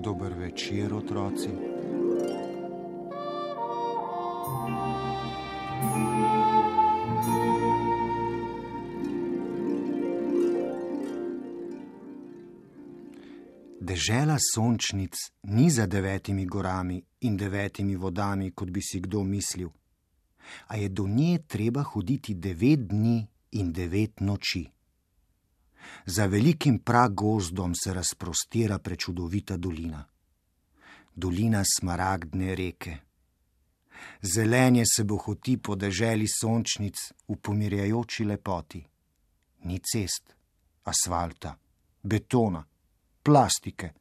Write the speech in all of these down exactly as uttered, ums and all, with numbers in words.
Dober večer, otroci. Dežela sončnic ni za devetimi gorami in devetimi vodami, kot bi si kdo mislil, a je do nje treba hoditi devet dni in devet noči. Za velikim pragozdom se razprostira prečudovita dolina. Dolina smaragdne reke. Zelenje se bohoti po deželi sončnic v pomirjajoči lepoti. Ni cest, asfalta, betona, plastike,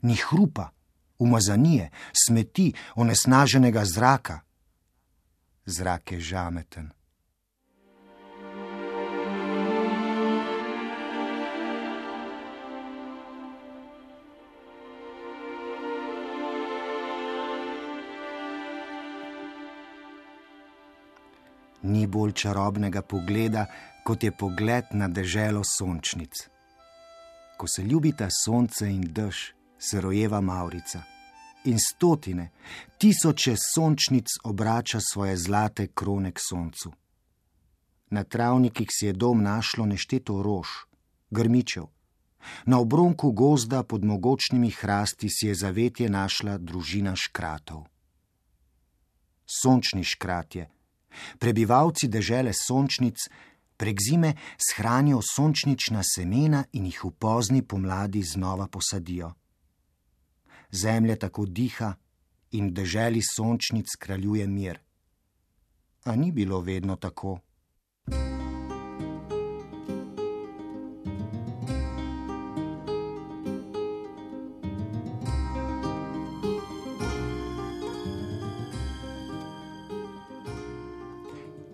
ni hrupa, umazanije, smeti, onesnaženega zraka. Zrak je žameten. Ni bolj čarobnega pogleda, kot je pogled na deželo sončnic. Ko se ljubita sonce in dež, se rojeva mavrica in stotine, tisoče sončnic obrača svoje zlate krone k soncu. Na travnikih si je dom našlo nešteto rož, grmičev. Na obronku gozda pod mogočnimi hrasti si je zavetje našla družina škratov. Sončni škratje, prebivalci dežele sončnic, prek zime shranijo sončnična semena in jih v pozni pomladi znova posadijo. Zemlja tako diha in v deželi sončnic kraljuje mir. A ni bilo vedno tako.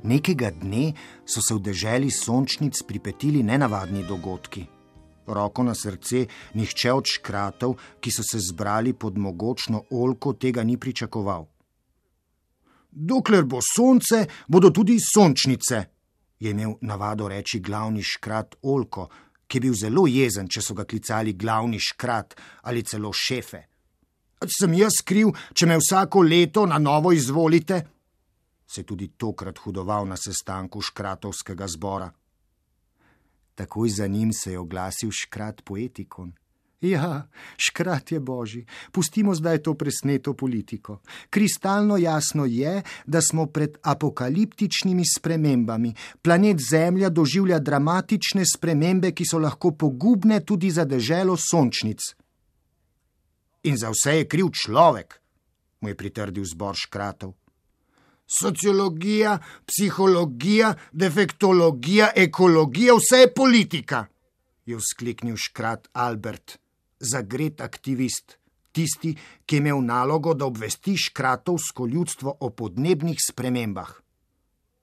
Nekega dne so se v deželi sončnic pripetili nenavadni dogodki. Roko na srce, nihče od škratov, ki so se zbrali pod mogočno oljko, tega ni pričakoval. Dokler bo sonce, bodo tudi sončnice, je imel navado reči glavni škrat Oljko, ki je bil zelo jezen, če so ga klicali glavni škrat ali celo šefe. Sem jaz kriv, če me vsako leto na novo izvolite? Se tudi tokrat hudoval na sestanku škratovskega zbora. Takoj za njim se je oglasil škrat Poetikon. Ja, škrat je božji, pustimo zdaj to presneto politiko. Kristalno jasno je, da smo pred apokaliptičnimi spremembami. Planet Zemlja doživlja dramatične spremembe, ki so lahko pogubne tudi za deželo sončnic. In za vse je kriv človek, mu je pritrdil zbor škratov. Sociologija, psihologija, defektologija, ekologija, vse je politika, je vzkliknil škrat Albert, zagret aktivist, tisti, ki je imel nalogo, da obvesti škratovsko ljudstvo o podnebnih spremembah.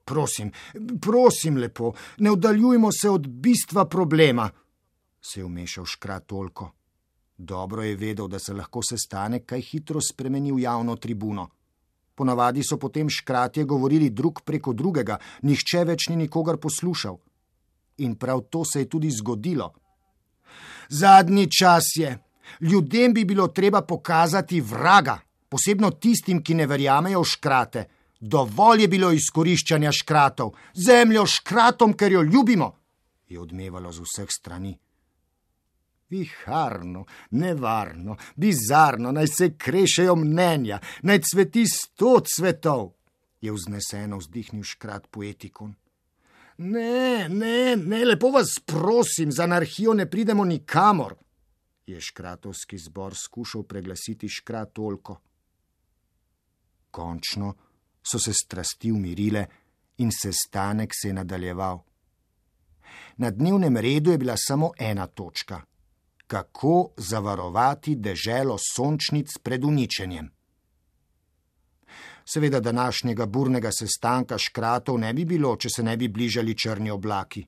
Prosim, prosim lepo, ne oddaljujmo se od bistva problema, se je vmešal škrat Oljko. Dobro je vedel, da se lahko sestanek kaj hitro spremeni v javno tribuno. Ponavadi so potem škratje govorili drug preko drugega, nihče več ni nikogar poslušal. In prav to se je tudi zgodilo. Zadnji čas je. Ljudem bi bilo treba pokazati vraga, posebno tistim, ki ne verjamejo v škrate. Dovolj je bilo izkoriščanja škratov. Zemljo škratom, ker jo ljubimo, je odmevalo z vseh strani. Viharno, nevarno, bizarno, naj se krešejo mnenja, naj cveti sto cvetov, je vzneseno vzdihnil škrat Poetikon. Ne, ne, ne, lepo vas prosim, z anarhijo ne pridemo nikamor, je škratovski zbor skušal preglasiti škrat Oljko. Končno so se strasti umirile in sestanek se je nadaljeval. Na dnevnem redu je bila samo ena točka. kako zavarovati deželo sončnic pred uničenjem. Seveda današnjega burnega sestanka škratov ne bi bilo, če se ne bi bližali črni oblaki.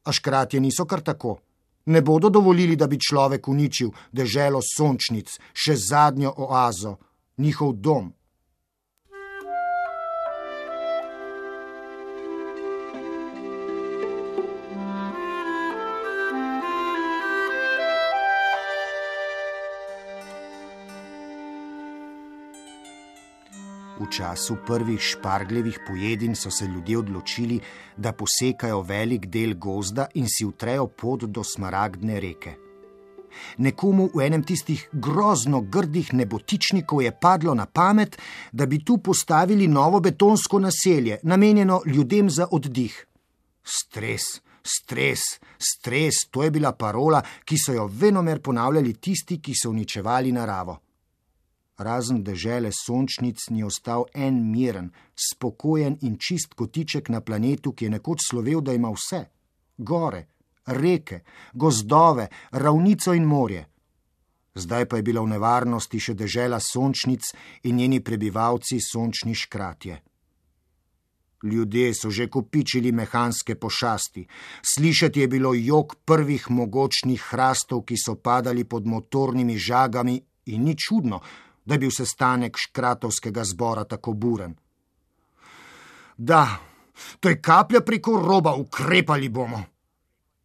A škratje niso kar tako. Ne bodo dovolili, da bi človek uničil deželo sončnic, še zadnjo oazo, njihov dom. V času prvih špargljevih pojedin so se ljudje odločili, da posekajo velik del gozda in si utrejo pot do Smaragdne reke. Nekomu v enem tistih grozno grdih nebotičnikov je padlo na pamet, da bi tu postavili novo betonsko naselje, namenjeno ljudem za oddih. Stres, stres, stres, to je bila parola, ki so jo venomer ponavljali tisti, ki so uničevali naravo. Razen dežele sončnic ni ostal en miren, spokojen in čist kotiček na planetu, ki je nekoč slovel, da ima vse. Gore, reke, gozdove, ravnico in morje. Zdaj pa je bila v nevarnosti še dežela sončnic in njeni prebivalci sončni škratje. Ljudje so že kopičili mehanske pošasti. Slišati je bilo jok prvih mogočnih hrastov, ki so padali pod motornimi žagami, in ni čudno, da je bil sestanek škratovskega zbora tako buren. Da, to je kaplja preko roba, ukrepali bomo,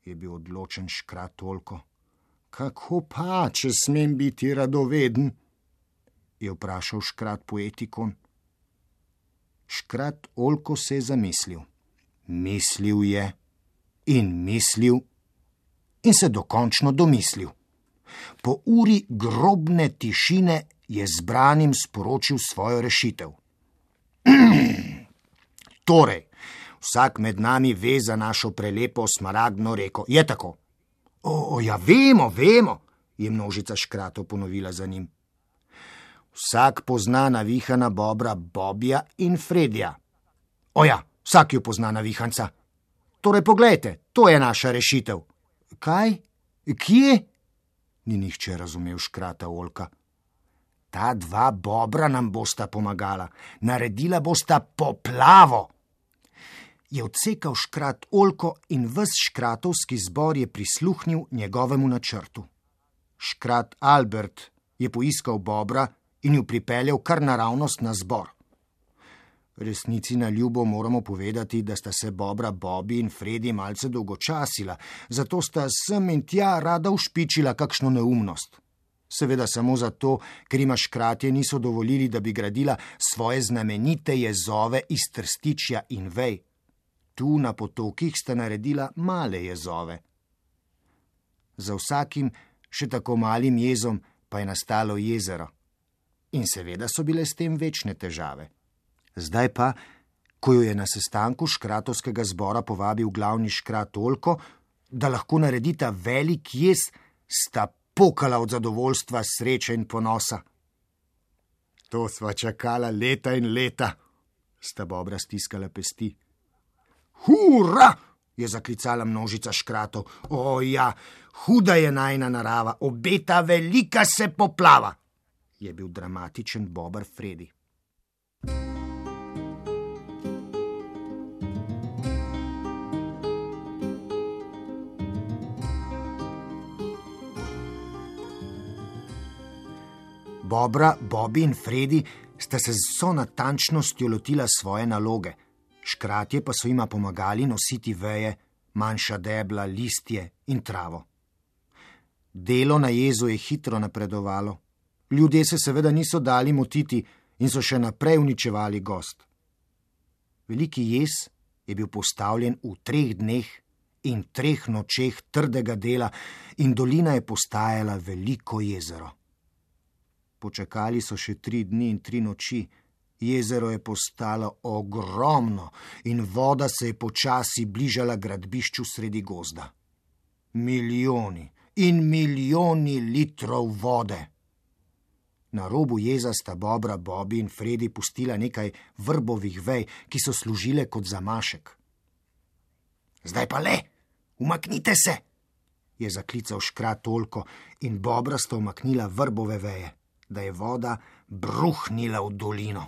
je bil odločen škrat Oljko. Kako pa, če smem biti radoveden, je vprašal škrat Poetikon. Škrat Oljko se je zamislil. Mislil je in mislil in se dokončno domislil. Po uri grobne tišine je zbranim sporočil svojo rešitev. Torej, vsak med nami ve za našo prelepo Smaragdno reko. Je tako? O, ja, vemo, vemo, je množica škratov ponovila za njim. Vsak pozna navihana bobra Bobija in Fredija. O ja, vsak ju pozna navihanca. Torej, poglejte, to je naša rešitev. Kaj? Kje? Ni nihče razumel škrata Oljka. Ta dva bobra nam bosta pomagala. Naredila bosta poplavo. Je odsekal škrat Oljko in ves škratovski zbor je prisluhnil njegovemu načrtu. Škrat Albert je poiskal bobra in ju pripeljal kar naravnost na zbor. Resnici na ljubo moramo povedati, da sta se bobra Bobi in Fredi malce dolgočasila, zato sta sem in tja rada ušpičila kakšno neumnost. Seveda samo zato, ker ima škratje niso dovolili, da bi gradila svoje znamenite jezove iz trstičja in vej. Tu na potokih sta naredila male jezove. Za vsakim še tako malim jezom pa je nastalo jezero. In seveda so bile s tem večne težave. Zdaj pa, ko jo je na sestanku škratovskega zbora povabil glavni škrat Oljko, da lahko naredita velik jez, sta pokala od zadovoljstva, sreče in ponosa. To sva čakala leta in leta, sta bobra stiskala pesti. Hura, je zaklicala množica škratov. O ja, huda je najina narava, obeta velika se poplava, je bil dramatičen bober Fredi. Bobra, Bobi in Fredi sta se z vso natančnostjo lotila svoje naloge. Škratje pa so jima pomagali nositi veje, manjša debla, listje in travo. Delo na jezu je hitro napredovalo. Ljudje se seveda niso dali motiti in so še naprej uničevali gozd. Veliki jez je bil postavljen v treh dneh in treh nočeh trdega dela in dolina je postajala veliko jezero. Počakali so še tri dni in tri noči. Jezero je postalo ogromno in voda se je počasi bližala gradbišču sredi gozda. Milijoni in milijoni litrov vode. Na robu jeza sta bobra Bobi in Fredi pustila nekaj vrbovih vej, ki so služile kot zamašek. Zdaj pa le, umaknite se, je zaklical škrat Olko in bobrasta umaknila vrbove veje, da je voda bruhnila v dolino.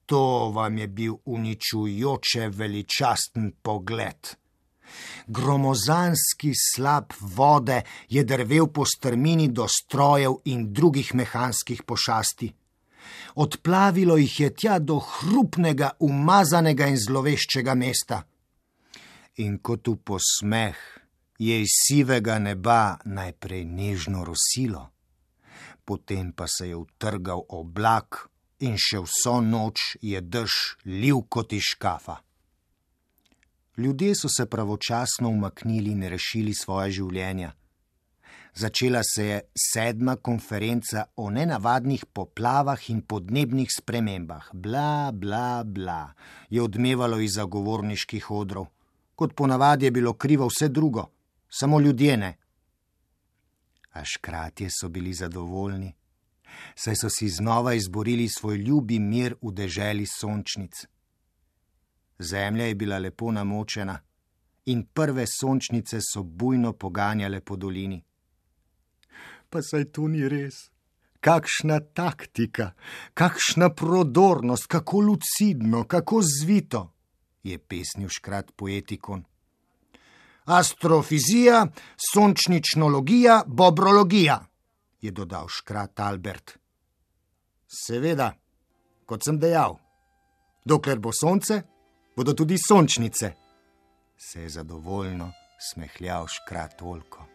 To vam je bil uničujoče veličasten pogled. Gromozanski slap vode je drvel po strmini do strojev in drugih mehanskih pošasti. Odplavilo jih je tja do hrupnega, umazanega in zloveščega mesta. In kot v posmeh je iz sivega neba najprej nežno rosilo, potem pa se je utrgal oblak in še vso noč je dež lil kot iz škafa. Ljudje so se pravočasno umaknili in rešili svoje življenja. Začela se je sedma konferenca o nenavadnih poplavah in podnebnih spremembah. Bla, bla, bla, je odmevalo iz zagovorniških odrov. Kot ponavadi je bilo krivo vse drugo, samo ljudje ne. A škratje so bili zadovoljni, saj so si znova izborili svoj ljubi mir v deželi sončnic. Zemlja je bila lepo namočena in prve sončnice so bujno poganjale po dolini. Pa saj to ni res. Kakšna taktika, kakšna prodornost, kako lucidno, kako zvito, je pesnil škrat poetikon. Astrofizija, sončničnologija, bobrologija, je dodal škrat Albert. Seveda, kot sem dejal, dokler bo sonce, bodo tudi sončnice, se je zadovoljno smehljal škrat Olko.